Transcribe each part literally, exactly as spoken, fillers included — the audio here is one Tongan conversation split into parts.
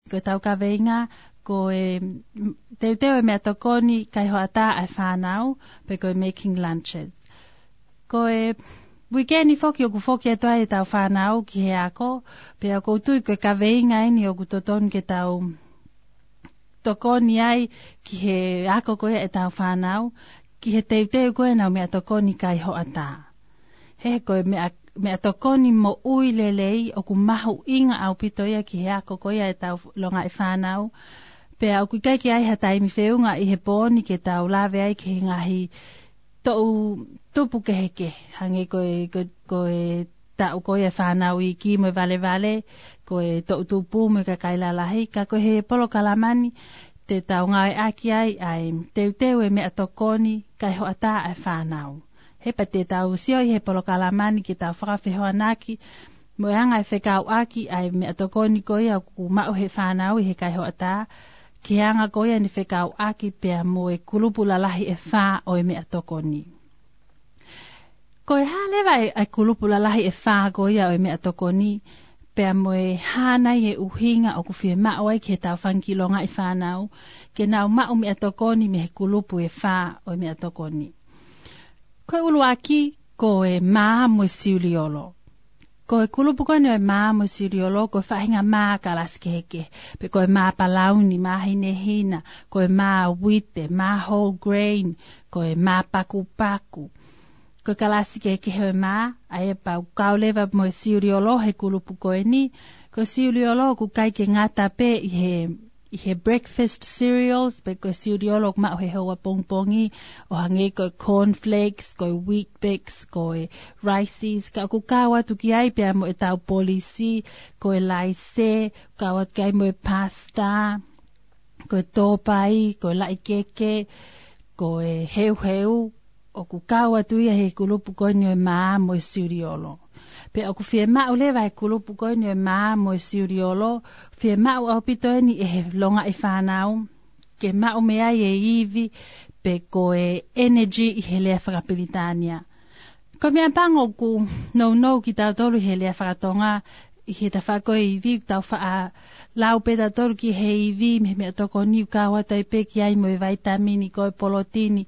Ko ʻetau kaveinga, ko e, mm, teuteu e meʻatokoni kaihoʻatā ʻa e fānau, pe ko e making lunches. Ko e uikeni foki ʻoku foki atu ai ʻetau fānau ki he ako, pea ʻoku ou tui ko e kaveinga eni ʻoku totonu ke tau tokoni ai ki he ako ko ia ʻetau fānau, ki he teuteu ko ē ʻenau meʻatokoni kaihoʻatā. He ko e meʻa, meʻatokoni moʻui lelei ʻoku mahuʻinga ʻaupito ia ki he ako ko ia ʻetau longaʻi fānau. Pea ʻoku ʻikai ke ʻi ai ha taimi feʻunga ʻi he pō ni ke tau lave ai ki he ngaahi toʻu tupu kehekehe. Hangē ko e, ko, ko e taʻu ko ia e fānau iiki mo e valevale, ko e toʻu tupu mo e kakai lalahi, ka ko e he polokalama ni te tau ngāueʻaki ai ʻa e teuteu e meʻatokoni kaihoʻatā ʻa e fānau. He pea te tau sio ʻi he polokalama ni ke tau fakafehoanaki mo e anga e fekauʻaki ʻa e meʻatokoni ko ia ʻoku maʻu he fānau ʻi he kaihoʻatā, ki he anga ko ia ʻene fekauʻaki pea mo e kulupu lalahi ʻe fā ʻo e meʻatokoni. Ko e hā leva e, e kulupu lalahi ʻe fā ko ia ʻo e meʻatokoni, pea mo e hā nai e ʻuhinga ʻoku fiemaʻu ai ki heʻetau fanga kiʻi longaʻi fānau ke nau maʻu meʻatokoni mei he kulupu ʻe fā ʻo e meʻatokoni. Ko e ʻuluaki, ko e mā mo e siuliolo. Ko e kulupu ko eni ʻo e mā mo e siuliolo, ko e faʻahinga mā kalasi kehekehe. Pe ko e mā palauni, mā hinehina, ko e mā uite, mā whole grain, ko e mā pakupaku. Ko e kalasi kehekehe ʻo e mā, ʻa ia pea ʻoku kau leva mo e siuliolo he kulupu ko eni. Ko e siuliolo ʻoku ʻikai ke ngata pē ʻi he ʻi he breakfast cereals, pe ko e siuliolo ʻoku maʻu he houa pongipongi, ʻo hangē ko e cornflakes, ko e Weet-Bix, ko e Riceys, ka ʻoku kau atu ki ai pea mo ʻetau polisi, ko e laise, kau atu ki ai mo e pasta, ko e tōpai, ko e laʻikeke, ko e heuheu, ʻoku kau atu ia he kulupu ko eni ʻo e mā mo e siuliolo. Pea ʻoku fiemaʻu leva he kulupu ko eni ʻo e mā mo e siuliolo, fiemaʻu ʻaupito eni ʻe he longaʻi fānau ke maʻu mei ai e ivi pe ko e energy ʻi he lea fakapilitānia. Ko e meʻa pango ʻoku nounou kitautolu he lea fakatonga ʻi he tafaʻaki ʻo e ivi, tau faʻa lau pē tautolu ki he ivi mei he meʻatokoni, ʻoku kau atu ai pē ki ai mo e vaitamini, ko e polotini,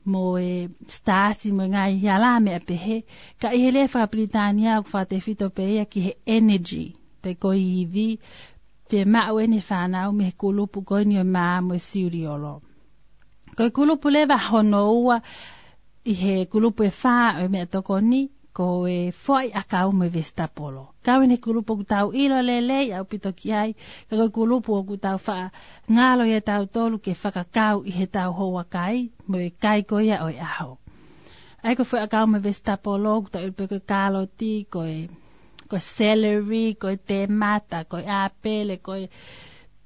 mo e sitaasi, mo e ngaahi hala meʻa pehē. Ka ʻi he lea fakapilitānia ʻoku fakatefito pē ia ki he energy, pe ko e ivi, fiemaʻu ʻe he fānau mei he kulupu ko eni ʻo e mā mo e siuliolo. Ko e kulupu leva hono ua ʻi he kulupu ʻe fā ʻo e meʻatokoni, ko e foʻi ʻakau mo e vesitapolo. Kau eni he kulupu ʻoku tau ʻilo lelei ʻaupito ki ai, ka ko e kulupu ʻoku tau faʻa ngalo ia tautolu ke fakakau ʻi heʻetau houa kai, mo e kai ko ia ʻo e ʻaho. ʻA ia ko e foʻi ʻakau mo e vesitapolo, ʻoku tau ʻilo pē ko e kaloti, ko e, ko e celery, ko e temata, ko e ʻāpele, ko e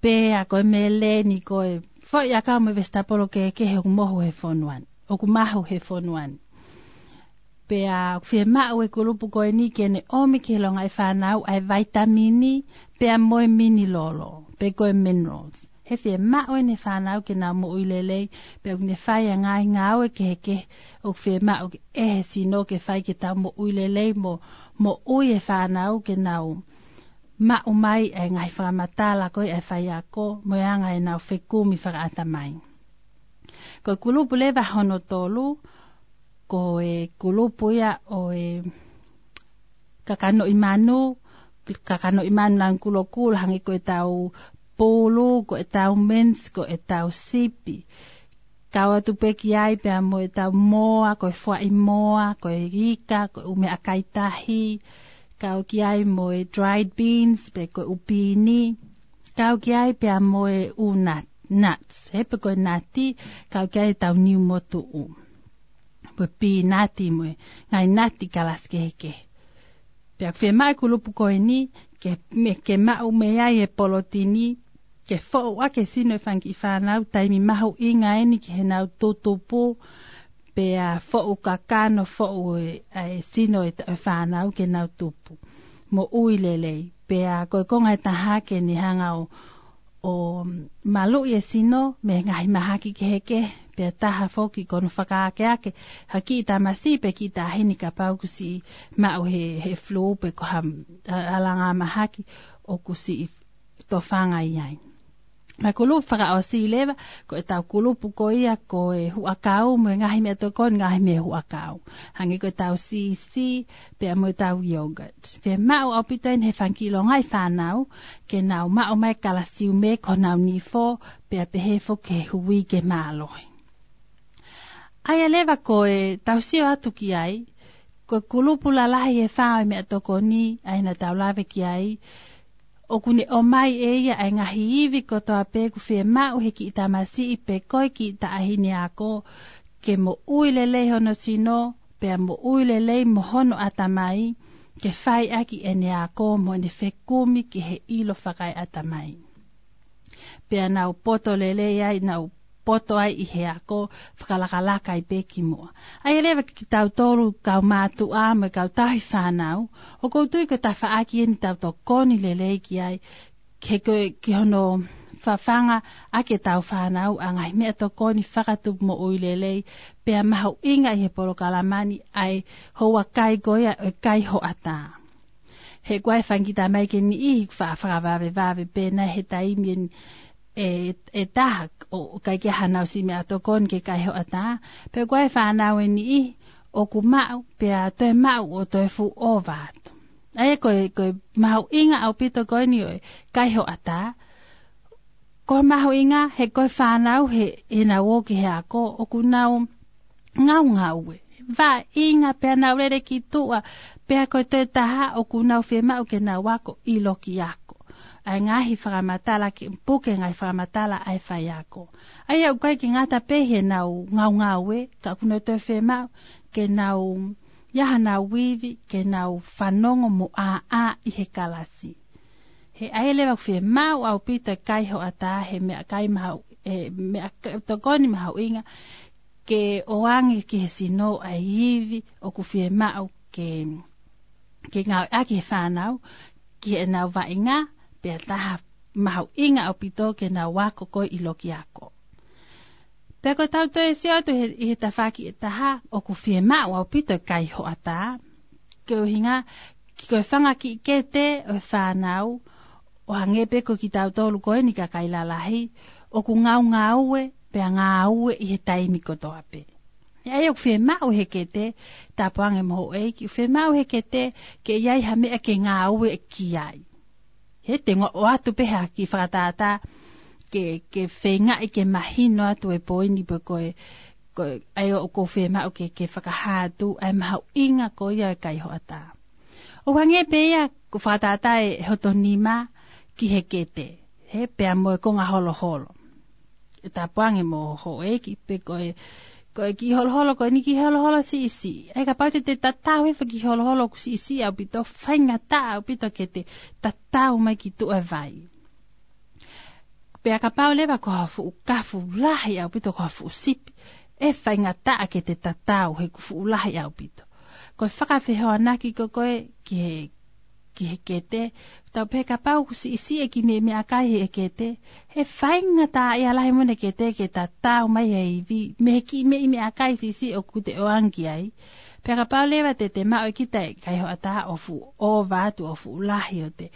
pea, ko e meleni, ko e foʻi ʻakau mo e vesitapolo kehekehe ʻoku mohu he fonua ni, ʻoku mahu he fonua ni. Pea ʻoku fiemaʻu ʻe he kulupu ko eni ke ne ʻomi ki he longaʻi fānau ʻa e vaitamini, pea mo e minilolo, pe ko e minerals. He fiemaʻu ʻe he fānau ke nau moʻui lelei, pea ʻoku ne fai ʻa e ngaahi ngāue kehekehe ʻoku fiemaʻu ʻe he sino ke fai ke tau moʻui lelei mo moʻui e fānau ke nau maʻu mai ʻa e ngaahi fakamatala ko ia ʻa e faiako mo e anga ʻenau fekumi fakaʻatamai. Ko e kulupu leva hono tolu, ko e kulupu ia ʻo e kakanoʻi manu, kakanoʻi manu lanu kulokula, hangē ko ʻetau pulu, ko ʻetau mince, ko ʻetau sipi. Kau atu pē ki ai pea mo ʻetau moa, ko e fuaʻi moa, ko e ika, ko e ʻū meʻakai tahi. Kau ki ai mo e dried beans, pe ko e ʻū pīni. Kau ki ai pea mo e ʻū nut-, nuts, he pe ko e nati, kau ki ai ʻetau niu motuʻu. Mo e pīnati mo e ngaahi nati kalasi kehekehe. Pea ʻoku fiemaʻu ʻe he kulupu ko eni ke, me, ke maʻu mei ai e polotini, ke foʻu ʻaki e sino e fanga kiʻi fānau, taimi mahuʻinga eni ki heʻenau tutupu, pea foʻu kakano, foʻu e, ʻa e sino e, e fānau ke nau tupu moʻui lelei. Pea ko e konga ʻe taha ke ne hanga ʻo, ʻo maluʻi e sino mei he ngaahi mahaki kehekehe, pea taha foki ko hono fakaakeake ha kiʻi tamasiʻi pe kiʻi taʻahine kapau kuo siʻi maʻu he, he flu pe ko ha, ha, ha langa mahaki ʻoku siʻi tofanga ai. Mo e kulupu fakaʻosi leva, ko ʻetau kulupu ko ia ko e huʻakau mo e ngaahi meʻatokoni, ngaahi meʻa huʻakau. Hangē ko ʻetau siʻisiʻi, pea mo ʻetau yogurt. Fiemaʻu ʻaupito eni he fanga kiʻi longaʻi fānau, ke nau maʻu mai kalasiume ki honau nifo, pea pehē foki ki he hui ke mālohi. ʻA ia leva ko ʻetau sio atu ki ai, ko e kulupu lalahi ʻe fā ʻo e meʻatokoni, ʻa ia naʻa tau lave ki ai, ʻoku ne ʻomai ʻe ia ʻa e ngaahi ivi kotoa pē ʻoku fiemaʻu he kiʻi tamasiʻi pe ko e kiʻi taʻahine ako, ke moʻui lelei hono sino, pea moʻui lelei mo hono ʻatamai, ke fai ʻaki ʻene ako mo ʻene fekumi ki he ʻilo fakaeʻatamai. Pea nau poto lelei ai, nau poto ai ʻi he ako, fakalakalaka ai pē ki muʻa. ʻA ia leva kitautolu kau mātuʻa mo e kau tauhi fānau, ʻoku ou tui ko e tafaʻaki eni ʻetau tokoni lelei ki ai, ke ko e, ki hono fafanga ʻaki ʻetau fānau ʻa e ngaahi meʻatokoni fakatupu moʻui lelei, pea mahuʻinga ʻi he polokalama ni ʻa e houa kai ko ia ʻo e kai hoʻatā. He ʻoku ʻi ai e fanga kiʻi tamai ke niʻihi ʻoku faʻa fakavavevave pē nai he taimi eni ʻe, ʻe taha ʻo, ʻikai ke ʻi ai haʻanau siʻi meʻatokoni ke kai hoʻatā, pe ʻoku ʻi ai e fānau ʻe niʻihi ʻoku maʻu, pea toe maʻu ʻo toe fuʻu ʻova atu. ʻA ia ko e, ko e mahuʻinga ʻaupito ko eni ʻo e kai hoʻatā. Ko e mahuʻinga he ko e fānau he, heʻenau ō ki he ako, ʻoku nau ngaungaue. Vaʻinga pea nau lele ki tuʻa, pea ko e toe taha ʻoku nau fiemaʻu ke nau ako ʻi loki ako. ʻA e ngaahi fakamatala ke puke ngaahi fakamatala ʻa e faiako. ʻA ia ʻoku ʻikai ke ngata pē heʻenau ngaungaue, ka ʻoku nau toe fiemaʻu ke nau ʻi ai haʻanau ivi, ke nau fanongo mo ʻāʻā ʻi he kalasi. He ʻa ia leva ʻoku fiemaʻu ʻaupito e kai hoʻatā he meʻakai mahu-, e meʻa ka-, tokoni mahuʻinga ke ʻoange ki he sino ʻa e ivi ʻoku fiemaʻu ke, ke ngāueʻaki he fānau, ki heʻenau vaʻinga, pea taha mahuʻinga ʻaupito ke nau ako ko ē ʻi loki ako. Pea ko ʻetau toe sio atu he, ʻi he tafaʻaki ʻe taha, ʻoku fiemaʻu ʻaupito e kai hoʻatā, koeʻuhinga, ki ko e fanga kiʻi kete ʻo e fānau, ʻo hangē pē ko kitautolu ko eni kakai lalahi, ʻoku ngaungaue, pea ngāue ʻi he taimi kotoa pē. ʻA ia ʻoku fiemaʻu he kete, tāpuange mo houʻeiki, ʻoku fiemaʻu he kete, ke ʻi ai ha meʻa ke ngāue ki ai. He te u ʻoatu pē ha kiʻi fakatātā, ke, ke feingaʻi ke mahino atu e poini pe ko e, ko e, ʻa ia ʻoku ou fiemaʻu ke, ke fakahā atu, ʻa e mahuʻinga ko ia e kai hoʻatā. ʻO hangē pē ia ko e fakatātā e hoto nima ki he kete, he pea mo e konga holoholo. ʻE tāpuange mo houʻeiki pe ko e, ko e kiʻi holoholo, ko eni kiʻi holoholo siʻisiʻi. ʻE kapau te te tatau hifo e kiʻi holoholo ʻoku siʻisiʻi ʻaupito, faingataʻa ʻaupito ke te tatau mai ki tuʻa e vai. Pea kapau leva ko ha fuʻu kafu lahi ʻaupito, ko ha fuʻu sipi, ʻe faingataʻa ke te tatau he ʻoku fuʻu lahi ʻaupito. Ko e fakafehoanaki ko ē ki he, ki he kete, tau pehē kapau ʻoku siʻisiʻi e kiʻi meʻa, meʻakai he kete, ʻe faingataʻaʻia lahi mo ʻene kete ke tatau mai he ivi, mei he kiʻi meʻa, meʻakai siʻisiʻi ʻoku te ʻoange ki ai. Pea kapau leva te te maʻu ʻe kita e kai hoʻatā ʻo fuʻu ʻova atu, ʻo fuʻu lahi ʻo te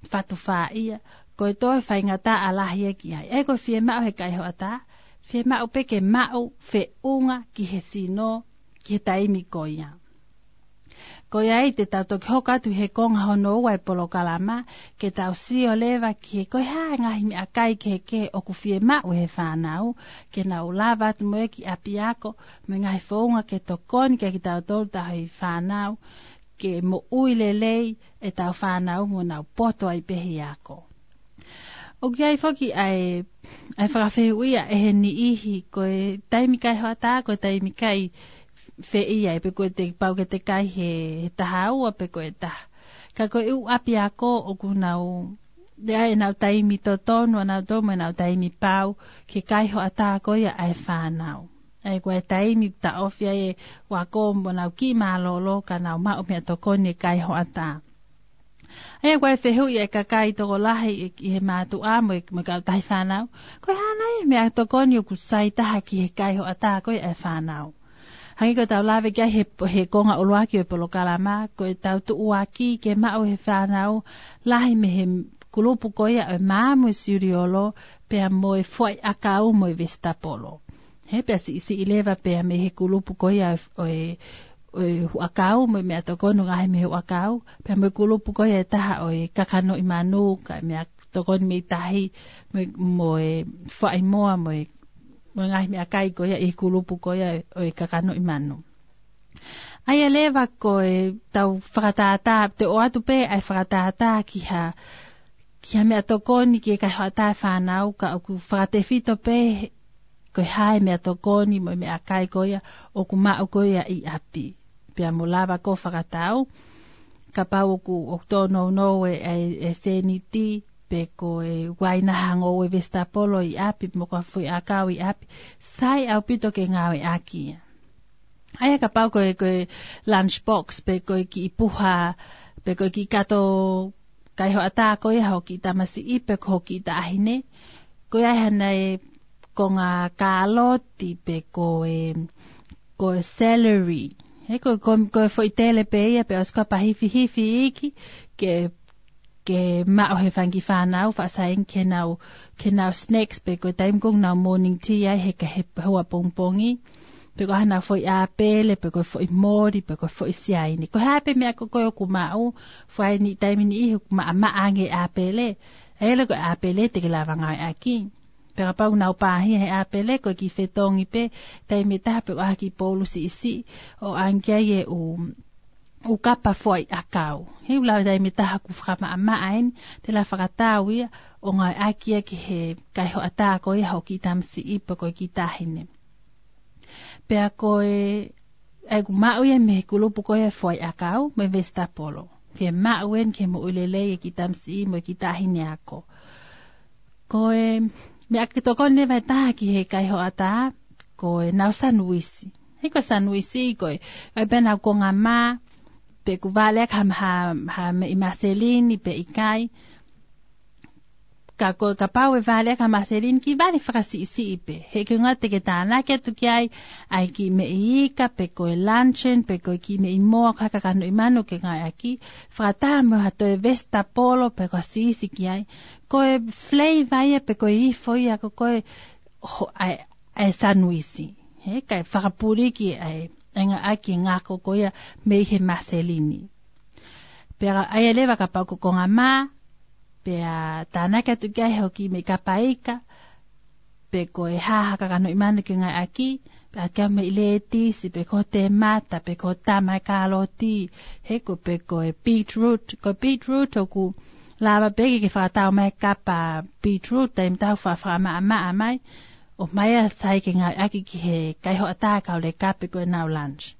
fatu fā ia, ko e toe faingataʻa lahi ia ki ai. ʻE ko e fiemaʻu he kai hoʻatā, fiemaʻu pē ke maʻu feʻunga ki he sino, ki he taimi ko ia. Ko ia ai te tau toki hoko atu he konga hono ua e polokalama, ke tau sio leva ki he ko e hā e ngaahi meʻakai kehekehe ʻoku fiemaʻu he fānau, ke nau lava atu mo ē ki ʻapiako, mo e ngaahi founga ke tokoni kia kitautolu tauhi fānau, ke moʻui lelei ʻetau fānau mo nau poto ai pē he ako. ʻOku ʻi ai foki ʻa e, ʻa e fakafehuʻia ʻe he niʻihi ko e taimi kai hoʻatā, ko e taimi kai fē ia, pe ko e te pau ke te kai he, he taha ua pe ko e taha. Ka ko e ʻū ʻapiako ʻoku nau, ʻe ʻi ai ʻenau taimi totonu, ʻa nau tō mo ʻenau taimi pau, ke kai hoʻatā ko ia ʻa e fānau. ʻA ia ko e taimi taʻofi ai e ako mo nau kiʻi mālōlō ka nau maʻu meʻatokoni e kai hoʻatā. ʻA ia ko e fehuʻi e kakai tokolahi ʻi he mātuʻa mo e, mo e kautahi fānau. Ko e hā nai e meʻatokoni ʻoku sai taha ki he kai hoʻatā ko ia e fānau. Hangē ko ʻetau lave ki ai he, he konga ʻuluaki ʻo e polokalama, ko ʻetau tuʻuaki ke maʻu he fānau lahi mei he kulupu ko ia ʻo e maama mo e siuliolo, pea mo e foʻi ʻakau mo e vesitapolo. He pea siʻisiʻi leva pea mei he kulupu ko ia ʻo e, ʻo e, ʻo e huʻakau, mo e meʻatokoni ʻoku ngaohi mei he huʻakau, pea mo e kulupu ko ia ʻe taha ʻo e kakanoʻi manu, kae meʻatokoni mei tahi, mo e, mo e faʻimoa, mo e, mo e ngaahi meʻakai ko ia ʻi he kulupu ko ia ʻo e kakanoʻi manu. ʻA ia leva ko e tau fakatātā, te u ʻoatu pē ʻa e fakatātā ki ha, ki ha meʻatokoni ki he kaihoʻatā e fānau, ka ʻoku fakatefito pē ko e hā e meʻatokoni mo e meʻakai ko ia ʻoku maʻu ko ia ʻi ʻapi. Pea mo lava ko e fakatau, kapau ʻoku, ʻoku tōnounou e, e, e sēniti, pe ko e ʻoku ʻi ai ha ngoue vesitapolo ʻi ʻapi, mo ko ha foʻi ʻakau ʻi ʻapi, sai ʻaupito ke ngāueʻaki ia. ʻA ia kapau ko e, ko e lunch box, pe ko e kiʻi puha, pe ko e kiʻi kato kaihoʻatā ko ia hoʻo kiʻi tamasiʻi, pe ko hoʻo kiʻi taʻahine. Ko ia ʻe ʻi ai haʻane konga kāloti, pe ko e, ko e celery. He ko, ko, ko e foʻi tele pē ia, pea ʻosi ko ia pea hifihifi iiki, ke ke maʻu he fanga kiʻi fānau faʻa saiʻia ke nau, ke nau snacks pe ko e taimi ko ē ʻoku nau morning tea ai he ka he houa pongipongi. Pe ko haʻanau foʻi ʻāpele, pe ko e foʻi moli, pe ko e foʻi siaine. Ko e hā pē meʻa ko ē ʻoku maʻu, fai ʻi he taimi ni ʻoku maʻamaʻa ange e ʻāpele. ʻA ia leva ko e ʻāpele te ke lava ngāueʻaki. Pea kapau ʻoku nau pāhia he ʻāpele, ko e kiʻi fetongi pē, taimi ʻe taha pe ko ha kiʻi poulu siʻisiʻi, ʻo ʻange ai e ʻū ʻū kapa foʻi ʻakau. He ʻoku lava taimi ʻe taha ʻoku fakamaʻamaʻa eni, te lava fakatau ia ʻo ngāueʻaki ia ki he kaihoʻatā ko ia hoʻo kiʻi tamasiʻi pe ko e kiʻi taʻahine. Pea ko e, ʻa ia ʻoku maʻu ia mei he kulupu ko ia foʻi ʻakau, mo e vesitapolo. Fiemaʻu eni ke moʻui lelei e kiʻi tamasiʻi mo e kiʻi taʻahine ako. Ko e meʻa ke tokoni leva ʻe taha ki he kaihoʻatā, ko ʻenau sanuisi. He ko e sanuisi ko e, ʻai pē ʻenau konga mā, pe ʻoku vale ʻaki ha, ha, ha meʻi maselini pe ʻikai. Ka ko e kapau ʻe vale ʻaki ha maselini, kiʻi vale fakasiʻisiʻi pē. He ko e ʻuhinga te ke tānaki atu ki ai, ʻa e kiʻi meʻi ika, pe ko e luncheon, pe ko e kiʻi meʻi moa, ko ha kakanoʻi manu ke ngāueʻaki. Fakataha mo ha toe vesitapolo, pe ko ha siisi ki ai. Ko e flavor ia, pe ko e ifo ia, ko, ko e ho-, ʻa e, ʻa e sanuisi. He, kae fakapuliki ʻa e, ʻa e ngāueʻaki e ngako ko ia mei he maselini. Pea ʻa ia leva kapau ko e konga mā, pea tānaki atu ki ai hoʻo kiʻi meʻi kapa ika, pe ko e hā ha kakanoʻi manu ke ngāueʻaki, pea ʻai atu ki ai meʻi lētisi, pe ko e temata, pe ko e tama e kāloti, he ko e pe ko e beetroot, ko e beetroot ʻoku lava pē ke ke fakatau mai e kapa beetroot, taimi ʻe taha ʻoku fa-, fakamaʻamaʻa mai, ʻomai ia sai ke ngāueʻaki ki he kaihoʻatā kauleka pe ko ʻenau lunch.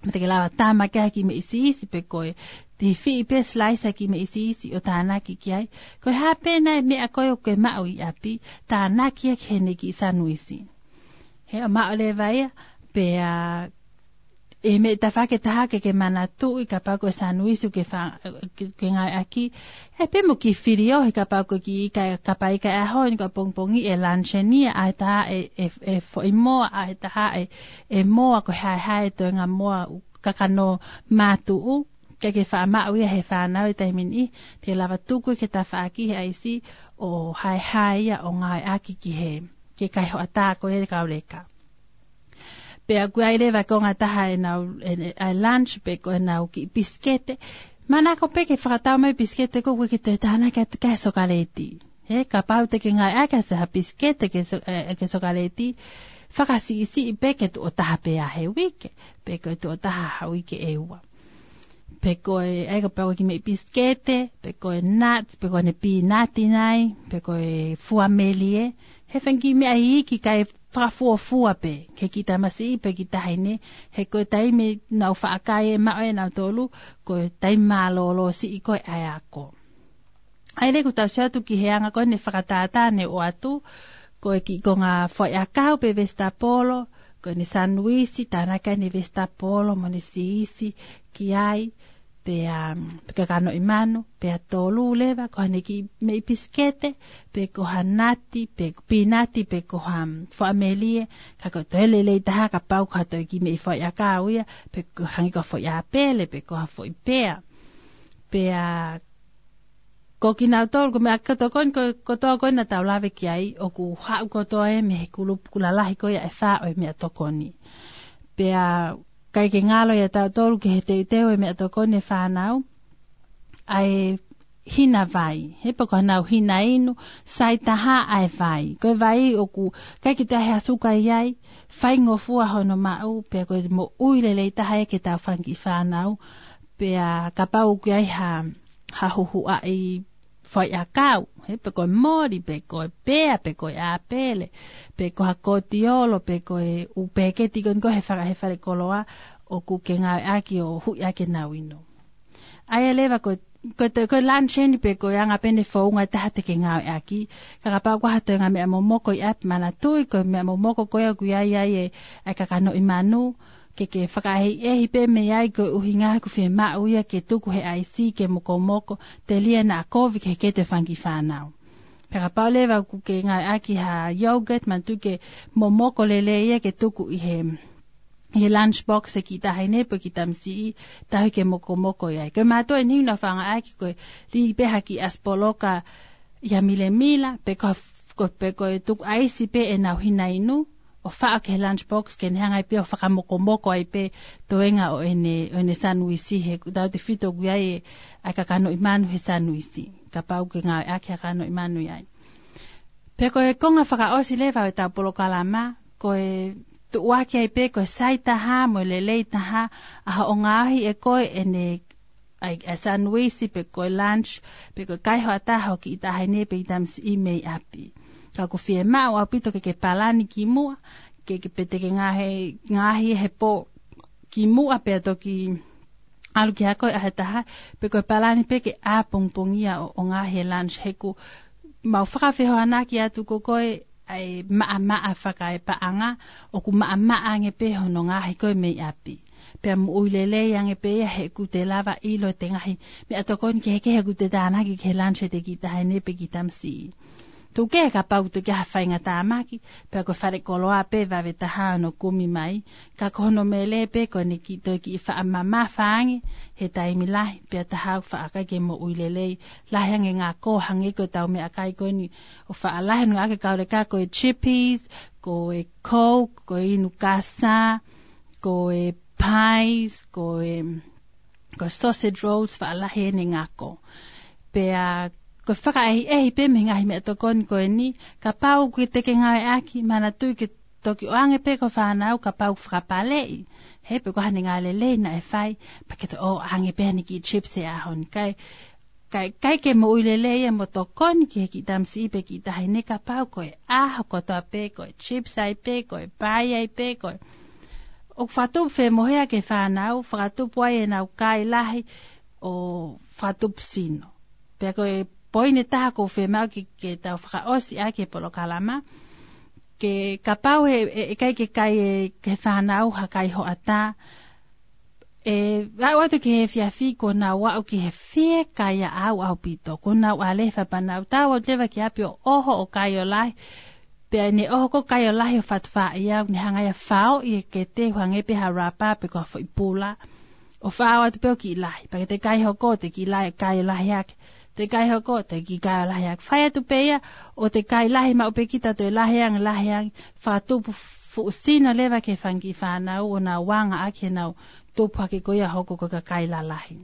Mo te ke lava tama ki ai ha kiʻi meʻi siisi pe ko e, te fiʻi pē slice ha kiʻi meʻi siisi ʻo tānaki ki ai. Ko e hā pē nai e meʻa ko ē ʻoku ke maʻu ʻi ʻapi, tānaki ia ki heʻene kiʻi sanuisi. He ʻo maʻu leva ia, pea ʻi he meʻi tafaʻaki ʻe taha ke ke manatuʻi kapau ko e sanuisi ʻoku ke fa-, ke, ke ngāueʻaki. He pea mo e kiʻi filiohi kapau ko e kiʻi ika, kapa ika e ʻaho ni ko e pongipongi ʻe luncheon ia, ʻai ʻe taha e, e, e foʻi moa, ʻai ʻe taha e, e moa ko e haehae e toenga moa ʻoku kakano mātuʻu, ke ke faʻa maʻu ia he fānau ʻi he taimi ni, te ke lava tuku ia ki he tafaʻaki he ʻaisi ʻo haehae ia ʻo ngāueʻaki ki he, ki he kaihoʻatā ko ia kauleka. Pea ʻoku ʻi ai leva e konga ʻe taha ʻenau, e, e, ʻa e lunch pe ko ʻenau kiʻi pisikete. Manako pē ke fakatau mai pisikete ko ē ʻoku ke toe tānaki atu ki ai e sokaleti. He kapau te ke ngāueʻaki ʻa e ha pisikete ke so-, e, ke sokaleti, fakasiʻisiʻi pē ke tuʻo taha pē ʻa e uike, pe ko e tuʻo taha ha uike ʻe ua. Pe ko e, ʻai kapau ko e kiʻi meʻi pisikete, pe ko e nuts, pe ko ʻene pīnati nai, pe ko e fua melie, he fanga kiʻi meʻa iiki kae fakafuofua pē, ki he kiʻi tamasiʻi pe kiʻi taʻahine, he ko e taimi ʻoku nau faʻa kai ʻe maʻu ʻe nautolu, ko e taimi mālōlō siʻi ko ē ʻa e ako. ʻA ia leva ʻoku tau sio atu ki he anga ko eni e fakatātā naʻe ʻoatu, ko e kiʻi konga foʻi ʻakau pe vesitapolo, ko ʻene sanuisi, tānaki ʻene vesitapolo, mo ʻene siisi, ki ai, pea, um, pe kakanoʻi manu, pea tolu leva, ko haʻane kiʻi meʻi pisikete, pe ko ha nati, pe pīnati, pe ko ha, um, fua melie, ka ko e toe lelei taha kapau ko ha toe kiʻi meʻi foʻi ʻakau ia, pe ko hangē ko ha foʻi ʻāpele, pe ko ha foʻi pea. Pea, Ko kinautolu, ko e meʻa kotoa ko eni, ko, kotoa ko eni naʻa tau lave ki ai, ʻoku haʻu kotoa ia mei he kulupu lalahi ko ia ʻe fā ʻo e meʻatokoni. Pea ʻikai ke ngalo ia ʻiate kitautolu ki he teuteu e meʻatokoni e fānau, ʻa e hina vai, he pea ko ʻenau hina inu, sai taha ʻa e vai. Ko e vai ʻoku ʻikai ke toe ʻi ai ha suka ai, faingofua hono maʻu, pea ko e moʻui lelei taha ia ki heʻetau fanga kiʻi fānau, pea kapau ʻoku ʻi ai ha, ha huhuʻaʻi faiʻakau, he pea ko e moli, pea ko e pea, pea ko e ʻāpele, pea ko ha kotiolo, pea ko e ʻū peketi ko eni ko ē he faka-, he falekoloa, ʻoku ke ngāueʻaki ʻo huʻi ʻaki ʻenau inu. ʻA ia leva ko, ko e, ko e lunch eni pea ko e anga pē eni e founga ʻe taha te ke ngāueʻaki, ka kapau ko ha toe ngaahi meʻa momoko ʻi ʻapi, manatuʻi ko e meʻa momoko ko ia ʻoku ʻi ai ai e, ʻa e kakanoʻi manu, ke ke fakaʻehiʻehi pē mei ai koeʻuhi he ʻoku fiemaʻu ia ke tuku he ʻaisi ke mokomoko, telia naʻa kovi ki he kete fanga kiʻi fānau. Pea kapau leva ʻoku ke ngāueʻaki ha yogurt, manatuʻi ke momoko lelei ia ke tuku ʻi he, ʻi he lunch box e kiʻi taʻahine pea kiʻi tamasiʻi, tauhi ke mokomoko ʻi ai. Ko e mātuʻa eni naʻa ku fakaʻaongaʻi ko e lī pē ha kiʻi ʻasi poloka ʻi ha milemila, pea ko, ko, pea ko e tuku ʻaisi pē ʻenau hina inu, ʻo faʻo ki he lunch box ke ne hanga ai pē ʻo fakamokomoko ai pē toenga ʻo ʻene, ʻo ʻene sanuisi, he ʻoku tautefito ʻoku ʻi ai e, ʻa e kakanoʻi manu he sanuisi. Kapau ʻoku ke ngāueʻaki ha kakanoʻi manu ʻi ai. Pea ko e konga fakaʻosi leva ʻo ʻetau polokalama, ko e tuʻuaki ai pē ko e sai taha mo e lelei taha ʻa hoʻo ngaohi ʻe koe ʻene, ʻa e, ʻa e sanuisi pea ko e lunch, pea ko e kaihoʻata ʻa ho kiʻi taʻahine pea kiʻi tamasiʻi mei ʻapi. Ka ʻoku fiemaʻu ʻaupito ke ke palani kimuʻa, ke, ke pē te ke ngaohi, ngaohi he pō kimuʻa pea toki ʻalu ki he ako ʻa e taha, pea ko e palani pē ke ʻāpongipongia ʻo, ʻo ngaohi e lunch, he ʻoku mau fakafehoanaki atu ko koe ʻa e maʻamaʻa fakaepaʻanga, ʻoku maʻamaʻa ange pē hono ngaohi ko ē mei ʻapi. Pea moʻui lelei ange pē ia he ʻoku te lava ʻilo ʻete ngaahi meʻatokoni kehekehe ʻoku te tānaki ki he lunch ʻete kiʻi taʻahine pea kiʻi tamasiʻi. Tuku kehe kapau ʻoku toe ʻi ai ha faingatāmaki, pea ko e falekoloa pē vave taha hono kumi mai, ka ko hono meʻa lelei pē ko ʻene kiʻi toe kiʻi faʻa mamafa ange he taimi lahi, pea taha ʻoku faʻa ʻikai ke moʻui lelei, lahi ange ngako hangē ko ʻetau meʻakai ko eni ʻoku faʻa lahi ange ʻaki e kau leka ko e chippies, ko e Coke, ko e inu kasa, ko e pies, ko e, ko e sausage rolls, faʻa lahi ʻene ngako. Pea ko e fakaʻehiʻehi pē mei he ngaahi meʻatokoni ko eni, kapau ʻoku te ke ngāueʻaki, manatuʻi ke toki ʻoange pē ki ho fānau kapau ʻoku fakapaleʻi. He pea ko haʻane ngāue lelei naʻe fai, pea ke toe ʻoange pē haʻane kiʻi chips he ʻaho ni. Kae, kae, ʻikai ke moʻui lelei ia mo tokoni ki he kiʻi tamasiʻi pea kiʻi taʻahine kapau ko e ʻaho kotoa pē ko e chips ai pē, ko e pai ai pē, ko e, ʻoku fakatupu femohea ki he fānau, fakatupu ai ʻenau kai lahi ʻo fakatupu sino. Pea ko e poini ʻe taha ʻoku fiemaʻu ke, ke tau fakaʻosi ʻaki e polokalama, ke kapau he, ʻe, ʻe ʻikai ke kai ʻe, ki he fānau ha kaihoʻata, ʻe aʻu atu ki he efiafi kuo nau aʻu ki he fiekaia ʻaupito, kuo nau ʻalu he fānau, tau ʻalu leva ki ʻapi ʻo ʻoho ʻo kai ʻo lahi, pea ne ʻoho ko ē kai ʻo lahi ʻo fatu faʻi ʻo ne hanga ia ʻo faoʻi e kete ʻo hangē pē ha rapa pe ko ha foʻi pula, ʻo faʻo atu pē ʻo kiʻi lahi. Pea ke te kai hoko, te kiʻi lahi, kai ʻo lahi hake. Te kai hoko, te kiʻi kai ʻo lahi hake. Fai atu pē ia, ʻo te kai lahi maʻu pē kita toe lahi ange, lahi ange. Fakatupu fuʻu sino leva ki he fanga kiʻi fānau ʻo nau anga ʻaki ʻenau tupu hake ko ia hoko ko e kakai lalahi.